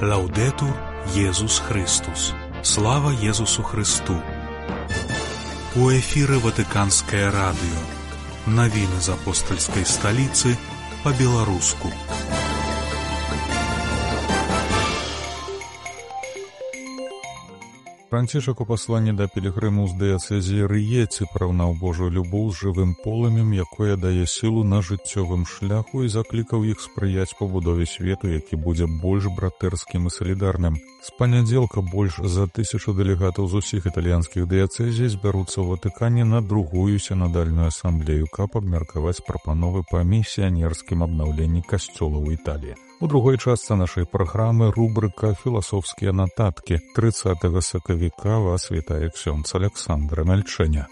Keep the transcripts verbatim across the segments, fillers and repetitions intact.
Лаўдетур Єсус Христос. Слава Єсусу Христу. У эфіры Ватыканскае радыё. Навіны з апостальскай сталіцы па-беларуску. Францішак у пасланні да пілігрымаў з дыяцэзіі Рыеці параўнаў Божую любоў з жывым полымем, якое дае сілу на жыццёвым шляху, і заклікаў іх спрыяць пабудове свету, які будзе больш братэрскім і салідарным. З панядзелка больш за тысячу дэлегатаў з усіх італьянскіх дыяцэзій збяруцца ў Ватыкане на другую сінадальную асамблею, каб абмеркаваць прапановы па місіянерскім абнаўленні касцёла ў Італіі. У другой частцы нашай праграмы рубрыка «Філасофскія нататкі». трыццатага сакавіка вас вітае ксёндз Аляксандр Мяльчэня.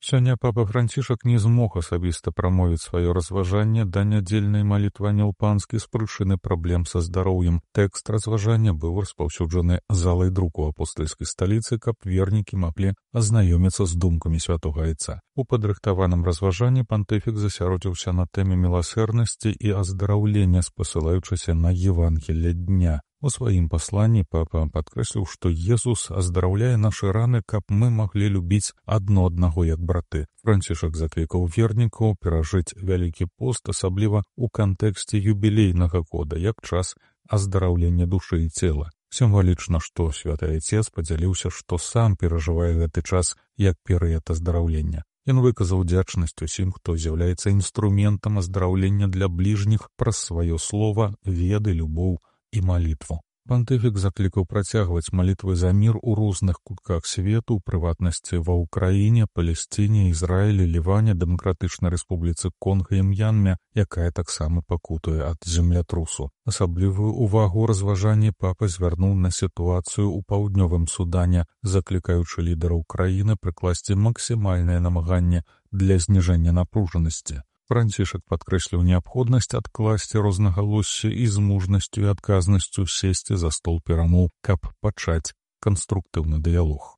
Сёння папа Францішак не змог асабіста прамовіць сваё разважанне да нядзельнай малітвы Анёл Панскі з прычыны праблем са здароўем. Тэкст разважання быў распаўсюджаны залай друку апостальскай сталіцы, каб вернікі маглі азнаёміцца з думкамі святога айца. У падрыхтаваным разважанні пантыфік засяродзіўся на тэме міласэрнасці і аздараўлення, спасылаючыся на Евангелле дня. У сваім пасланні папа падкрэсліў, што Езус аздараўляе нашы раны, каб мы маглі любіць адно аднаго як браты. Францішак заклікаў вернікаў перажыць вялікі пост, асабліва ў кантэксце юбілейнага года, як час аздараўлення душы і цела. Сімвалічна, што святы айцец падзяліўся, што сам перажывае гэты час як перыяд аздараўлення. Ён выказаў удзячнасць усім, хто з'яўляецца інструментам аздараўлення для бліжніх праз сваё слова, веды, любоў і малітву. Пантыфік заклікаў працягваць малітвы за мір у розных кутках свету, у прыватнасці ва Ўкраіне, Палесціне, Ізраілі, Ліване, Дэмакратычнай рэспубліцы Конга і М'янме, якая таксама пакутуе ад землятрусу. Асаблівую ўвагу разважанні папа звярнуў на сітуацыю ў паўднёвым Судане, заклікаючы лідараў краіны прыкласці максімальнае намаганне для зніжэння напружанасці. Францішак падкрэсліў неабходнасць адкласці рознагалоссі і з мужнасцю і адказнасцю сесці за стол перамоў, каб пачаць канструктыўны дыялог.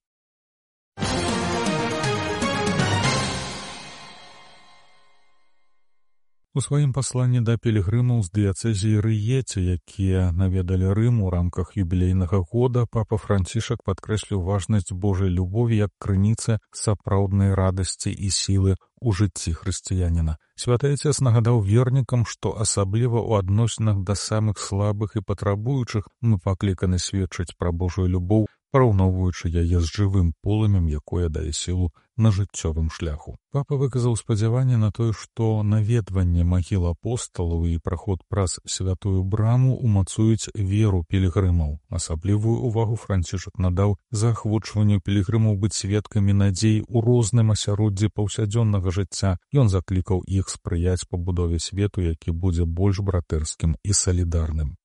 У сваім пасланні да пілігрымаў з дыяцэзіі Рыеці, якія наведалі Рым у рамках юбілейнага года, папа Францішак падкрэсліў важнасць Божай любові як крыніцы сапраўднай радасці і сілы ў жыцці хрысціяніна. Святы айцец нагадаў вернікам, што асабліва ў адносінах да самых слабых і патрабуючых мы пакліканы сведчыць пра Божую любоў, параўноўваючы яе з жывым полымем, якое дае сілу на жыццёвым шляху. Папа выказаў спадзяванне на тое, што наведванне магіл апосталаў і праход праз святую браму умацуюць веру пілігрымаў. Асаблівую ўвагу Францішак надаў заахвочванню пілігрымаў быць сведкамі надзей у розным асяроддзі паўсядзённага жыцця. Ён заклікаў іх спрыяць пабудове свету, які будзе больш братэрскім і салідарным.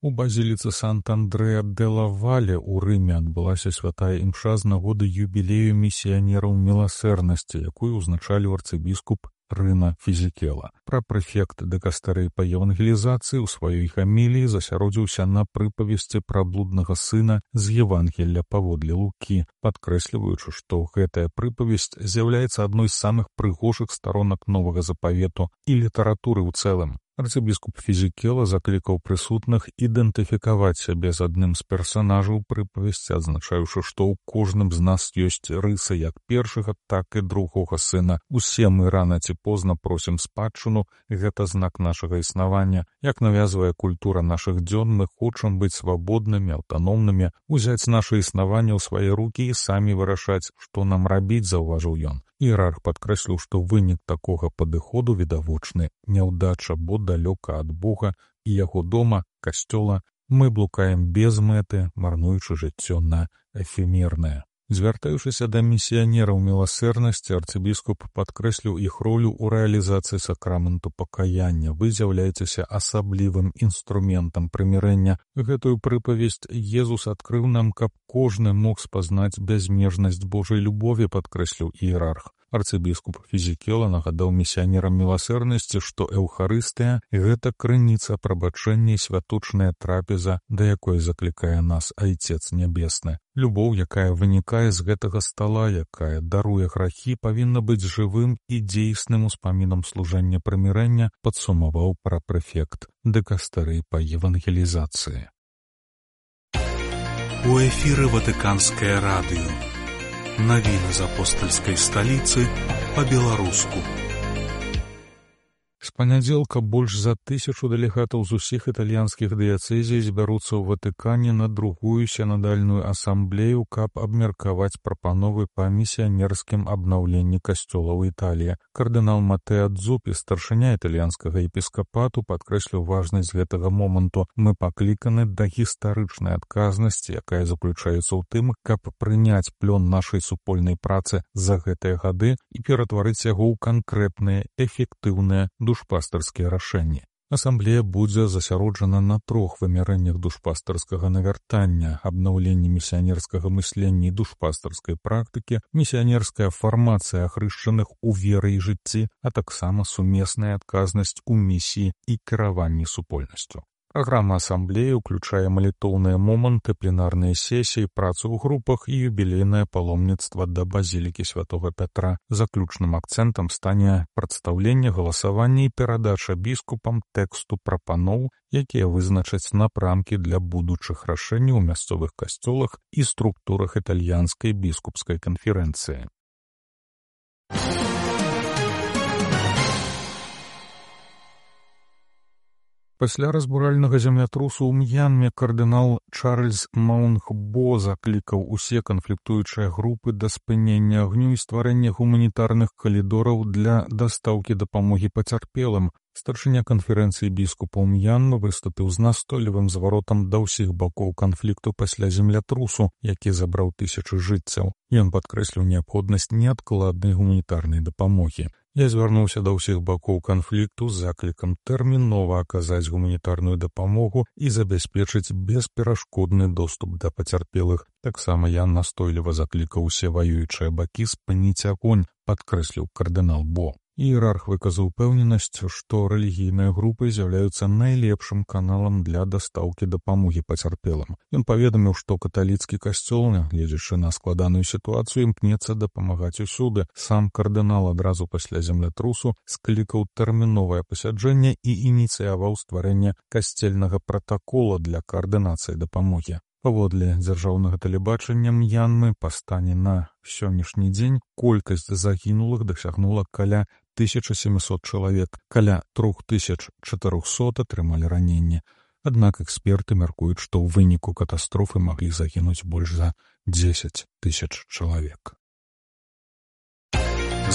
У базіліцы Сант-Андрэа-дэ-ла-Вале ў Рыме адбылася святая імша з нагоды юбілею місіянераў міласэрнасці, якую ўзначаліў арцыбіскуп Рына Фізікела. Прапрэфект дыкастэрыі па евангелізацыі ў сваёй хаміліі засяродзіўся на прыпавесці пра блуднага сына з Евангелля паводле Лукі, падкрэсліваючы, што гэтая прыпавесць з'яўляецца адной з самых прыгожых старонак новага запавету і літаратуры ў цэлым. Арцыбіскуп Фізікела заклікаў прысутных ідэнтыфікаваць сябе з адным з персанажаў прыпавесці, адзначаючы, што ў кожным з нас ёсць рысы як першага, так і другога сына. Усе мы рана ці позна просім спадчыну, гэта знак нашага існавання. Як навязвае культура нашых дзён, мы хочам быць свабоднымі, аўтаномнымі, узяць наша існаванне ў свае рукі і самі вырашаць, што нам рабіць, заўважыў ён. Іерарх падкрэсліў, што вынік такога падыходу відавочны няўдача, бо далёка ад Бога і яго дома, касцёла, мы блукаем без мэты, марнуючы жыццё на эфемернае. Звяртаючыся да місіянераў міласэрнасці, арцыбіскуп падкрэсліў іх ролю ў рэалізацыі сакраменту пакаяння. Вы з'яўляецеся асаблівым інструментам прымірэння. Гэтую прыпавесць Езус адкрыў нам, каб кожны мог спазнаць бязмежнасць Божай любові, падкрэсліў іерарх. Арцыбіскуп Фізікела нагадаў місіянерам міласэрнасці, што Эўхарыстыя — гэта крыніца прабачэння і святочная трапеза, да якой заклікае нас Айцец Нябесны. Любоў, якая вынікае з гэтага стала, якая даруе грахі, павінна быць жывым і дзейсным успамінам служэння прымірэння, падсумаваў прапрэфект дыкастэрыі па евангелізацыі. У эфіры Ватыканскае радыё. Навіны з апостальскай сталіцы па-беларуску. З панядзелка больш за тысячу дэлегатаў з усіх італьянскіх дыяцэзій збяруцца ў Ватыкане на другую сінадальную асамблею, каб абмеркаваць прапановы па місіянерскім абнаўленні касцёла ў Італіі. Кардынал Матэа Дзупі, старшыня італьянскага епіскапату, падкрэсліў важнасць гэтага моманту. Мы пакліканы да гістарычнай адказнасці, якая заключаецца ў тым, каб прыняць плён нашай супольнай працы за гэтыя гады і ператварыць яго ў канкрэтныя, эфектыўныя душпастарскія рашэнні. Асамблея будзе засяроджана на трох вымярэннях душпастарскага навяртання: абнаўленне місіянерскага мыслення і душпастарскай практыкі, місіянерская фармацыя ахрышчаных у веры і жыцці, а таксама сумесная адказнасць у місіі і кіраванні супольнасцю. Праграма асамблеі ўключае малітоўныя моманты, пленарныя сесіі, працу ў групах і юбілейнае паломніцтва да базілікі святога Пятра. Заключным акцэнтам стане прадстаўленне, галасаванне і перадача біскупам тэксту прапаноў, якія вызначаць напрамкі для будучых рашэнняў у мясцовых касцёлах і структурах італьянскай біскупскай канферэнцыі. Пасля разбуральнага землятрусу ў М'янме кардынал Чарльз Маунхбо заклікаў усе канфліктуючыя групы да спынення агню і стварэння гуманітарных калідораў для дастаўкі дапамогі пацярпелым. Старшыня канферэнцыі біскупаў М'янмы выступіў з настойлівым зваротам да ўсіх бакоў канфлікту пасля землятрусу, які забраў тысячы жыццяў. Ён падкрэсліў неабходнасць неадкладнай гуманітарнай дапамогі. Я звярнуўся да ўсіх бакоў канфлікту з заклікам тэрмінова аказаць гуманітарную дапамогу і забяспечыць бесперашкодны доступ да пацярпелых. Таксама я настойліва заклікаў усе ваюючыя бакі спыніць агонь, падкрэсліў кардынал Бо. Іерарх выказаў упэўненасць, што рэлігійныя групы з'яўляюцца найлепшым каналам для дастаўкі дапамогі пацярпелым. Ён паведаміў, што каталіцкі касцёл, гледзячы на складаную сітуацыю, імкнецца дапамагаць усюды. Сам кардынал адразу пасля землятрусу склікаў тэрміновае пасяджэнне і ініцыяваў стварэнне касцельнага пратакола для каардынацыі дапамогі. Паводле дзяржаўнага тэлебачання М'янмы па стане на сённяшні дзень колькасць загінулых дасягнула каля тысяча сямьсот чалавек, каля тры тысячы чатырохсот атрымалі раненні. Аднак эксперты мяркуюць, што ў выніку катастрофы маглі загінуць больш за дзесяць тысяч чалавек.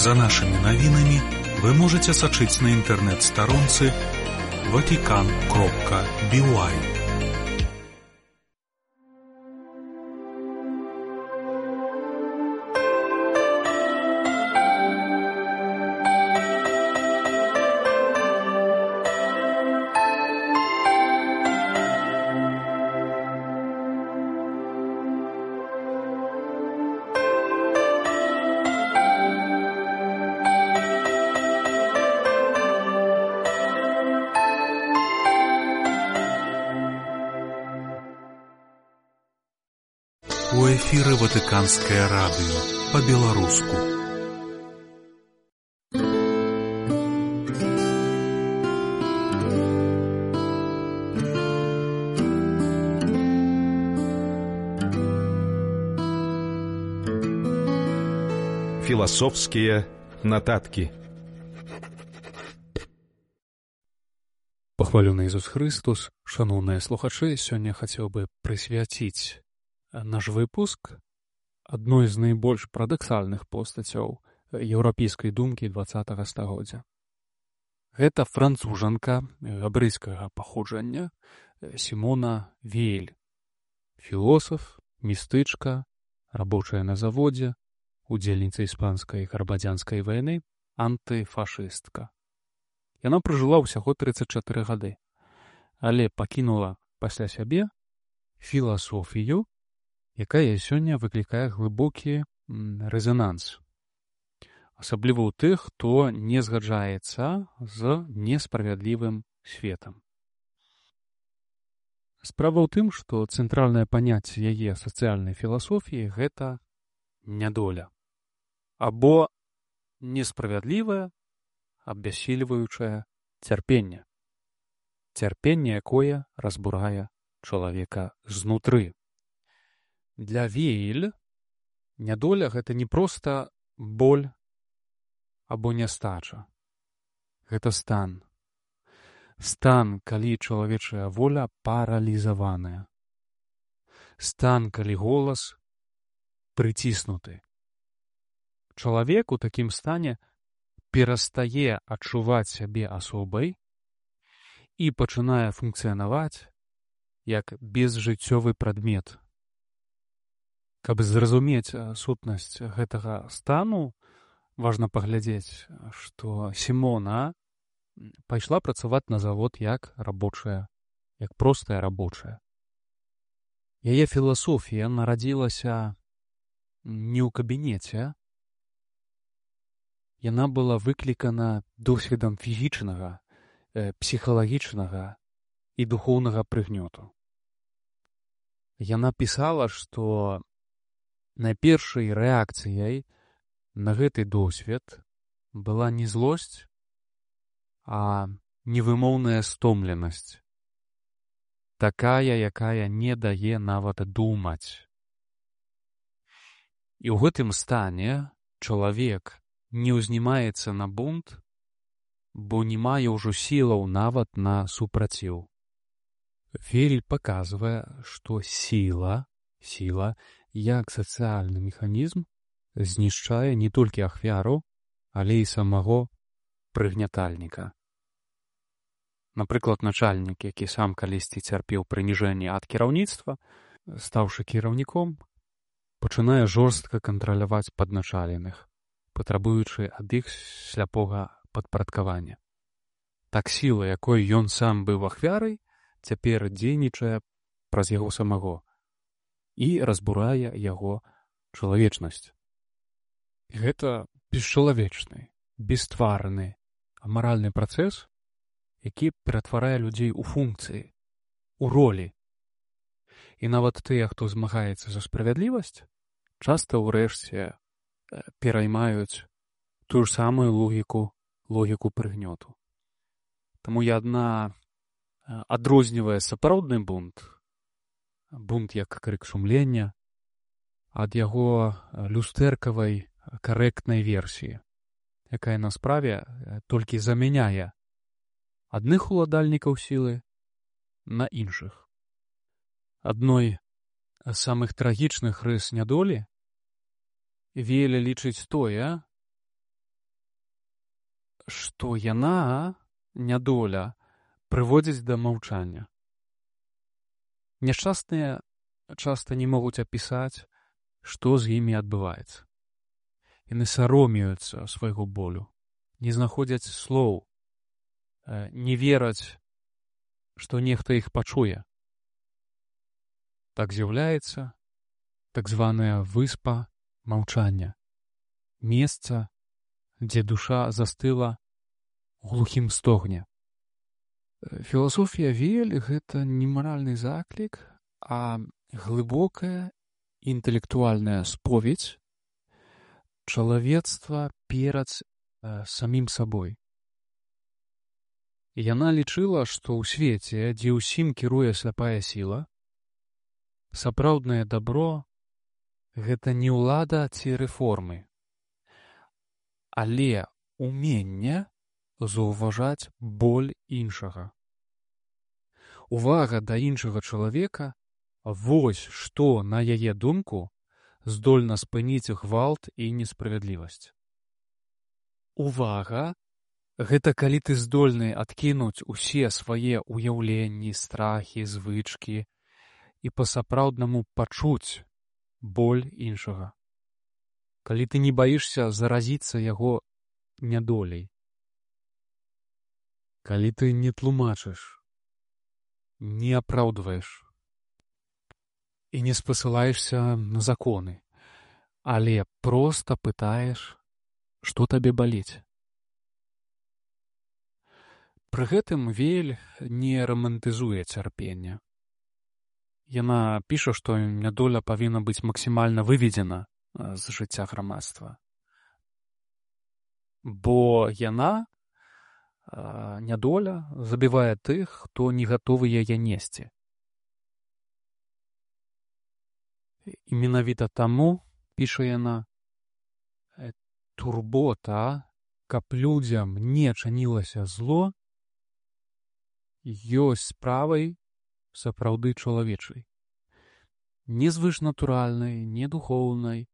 За нашымі навінамі вы можаце сачыць на інтэрнэт-старонцы ватикан кропка би уай. У эфіры Ватыканскае радыё па-беларуску. Філасофскія нататкі. Пахвалёны Ісус Христос, шаноўныя слухачы, сёння хацеў бы прысвяціць наш выпуск адной з найбольш парадаксальных постацяў еўрапейскай думкі дваццатага стагоддзя. Гэта францужанка габрэйскага паходжання Сімона Вейль, філосаф, містычка, рабочая на заводзе, удзельніца іспанскай грамадзянскай вайны, антыфашыстка. Яна пражыла ўсяго трыццаць чатыры гады, але пакінула пасля сябе філасофію, якая сёння выклікае глыбокі рэзананс. асабліва ў тых, хто не згаджаецца з несправядлівым светам. Справа ў тым, што цэнтральнае паняцце яе сацыяльнай філасофіі – гэта нядоля. Або несправядлівае, абяссільваючае цярпенне. Цярпенне, якое разбурае чалавека знутры. Для Вейль нядоля – гэта не проста боль або нястача. Гэта стан. Стан, калі чалавечая воля паралізаваная. Стан, калі голас прыціснуты. Чалавек у такім стане перастае адчуваць сябе асобай і пачынае функцыянаваць як безжыццёвы прадмет. Каб зразумець сутнасць гэтага стану, важна паглядзець, што Сімона пайшла працаваць на завод як рабочая, як простая рабочая. Яе філасофія нарадзілася не ў кабінеце. Яна была выклікана досведам фізічнага, псіхалагічнага і духоўнага прыгнёту. Яна пісала, што найпершай рэакцыяй на гэты досвед была не злосць, а невымоўная стомленасць. Такая, якая не дае нават думаць. І ў гэтым стане чалавек не ўзнімаецца на бунт, бо не мае ўжо сілаў нават на супраціў. Вейль паказвае, што сіла, сіла, як сацыяльны механізм, знішчае не толькі ахвяру, але і самого прыгнятальніка. Напрыклад, начальнік, які сам калісьці цярпеў прыніжэнне ад кіраўніцтва, стаўшы кіраўніком, пачынае жорстка кантраляваць падначаленых, патрабуючы ад іх сляпога падпарадкавання. Так сіла, якой ён сам быў ахвярай, цяпер дзейнічае праз яго самого і разбурае яго чалавечнасць. Гэта бесчалавечны, бесстварны, амаральны працэс, які ператварае людзей у функцыі, у ролі. І нават тыя, хто змагаецца за справядлівасць, часта ўрэшце пераймаюць тую ж самую логіку, логіку прыгнёту. Таму я адна адрознівае сапраўдны бунт, бунт як крык сумлення, ад яго люстэркавай карэктнай версіі, якая на справе толькі замяняе адных уладальнікаў сілы на іншых. Адной з самых трагічных рыс нядолі Вейль лічыць тое, што яна, нядоля, прыводзіць да маўчання. Няшчасныя часта не могуць апісаць, што з імі адбываецца. Яны саромеюцца свайго болю, не знаходзяць слоў, не вераць, што нехта іх пачуе. Так з'яўляецца так званая выспа маўчання, месца, дзе душа застыла ў глухім стогне. Філасофія Вейль – гэта не маральны заклік, а глыбокая інтэлектуальная споведь чалавецтва перад самім сабой. Яна лічыла, што ў свеце, дзе ўсім кіруе сляпая сіла, сапраўднае дабро – гэта не ўлада ці рэформы, але уменне заўважаць боль іншага. Увага да іншага чалавека – вось што, на яе думку, здольна спыніць гвалт і несправядлівасць. Увага – гэта калі ты здольны адкінуць усе свае ўяўленні, страхі, звычкі і па-сапраўднаму пачуць боль іншага. Калі ты не баішся заразіцца яго нядоляй. Калі ты не тлумачыш, не апраўдваеш і не спасылаешся на законы, але проста пытаеш, што табе баліць. Пры гэтым Вель не рамантызуе цярпенне. Яна піша, што нядоля павінна быць максімальна выведзена з жыцця грамадства. Бо яна, нядоля, забівае тых, хто не гатовы яе несці. І менавіта таму, піша яна, турбота, каб людзям не чынілася зло, ёсць справай сапраўды чалавечай. Не звышнатуральнай, не духоўнай,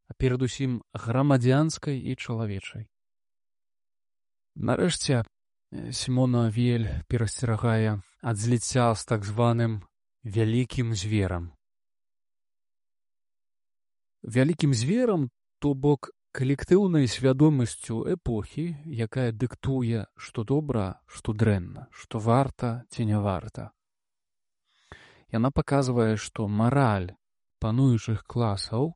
а перадусім грамадзянскай і чалавечай. Нарэшце, Сімона Вель перасцерагае ад зліцця з так званым вялікім зверам. Вялікім зверам, то бок калектыўнай свядомасцю эпохі, якая дыктуе, што добра, што дрэнна, што варта ці не варта. Яна паказвае, што мараль пануючых класаў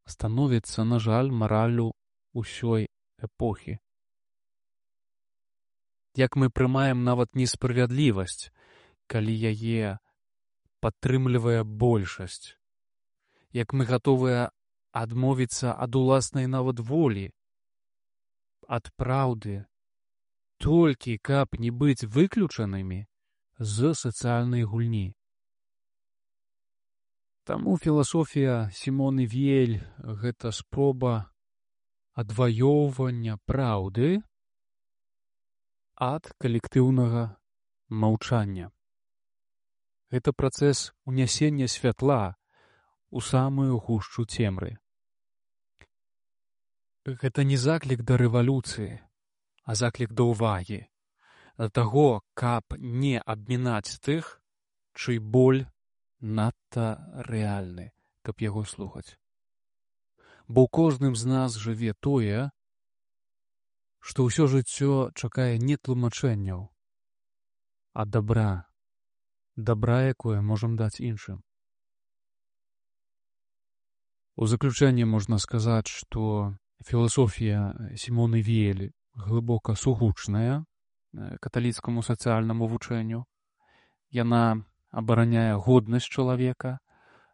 становіцца, на жаль, мараллю ўсёй эпохі. Як мы прымаем нават несправядлівасць, калі яе падтрымлівае большасць. Як мы гатовыя адмовіцца ад уласнай нават волі, ад праўды, толькі каб не быць выключанымі з сацыяльнай гульні. Таму філасофія Сімоны Вель – гэта спроба адваёўвання праўды ад калектыўнага маўчання. Гэта працэс унясення святла у самую гушчу цемры. Гэта не заклік да рэвалюцыі, а заклік да ўвагі, да таго, каб не абмінаць тых, чый боль надта рэальны, каб яго слухаць. Бо ў кожным з нас жыве тое, што ўсё жыццё чакае не тлумачэнняў, а дабра, дабра, якое можам даць іншым. У заключэнне можна сказаць, што філасофія Сімоны Вель глыбока сугучная каталіцкаму сацыяльнаму вучэнню. Яна абараняе годнасць чалавека,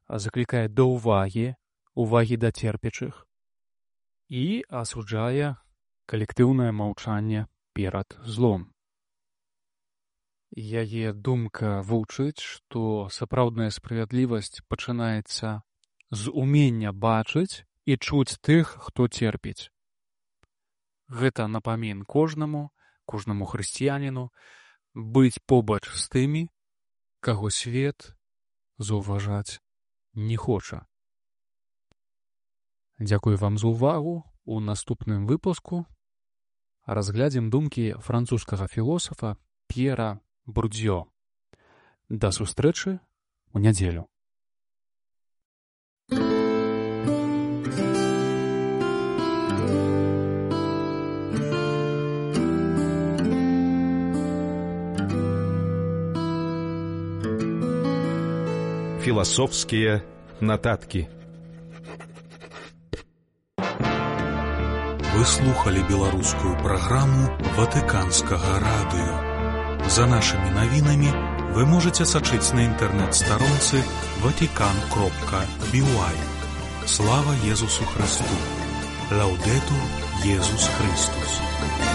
заклікае да ўвагі, увагі да церпячых і асуджае калектыўнае маўчанне перад злом. Яе думка вучыць, што сапраўдная справядлівасць пачынаецца з умення бачыць і чуць тых, хто церпіць. Гэта напамін кожнаму, кожнаму хрысціяніну быць побач з тымі, каго свет заўважаць не хоча. Дзякую вам за ўвагу. У наступным выпуску разглядзім думкі французскага філосафа П'ера Бурдзё. Да сустрэчы ў нядзелю. Философские нотатки. Вы слухали беларускую праграму Ватыканскага радыё. За нашымі навінамі вы можаце сачыць на інтэрнэт-старонцы ватикан кропка би уай. Слава Езусу Христу! Лаудетур Езус Христус!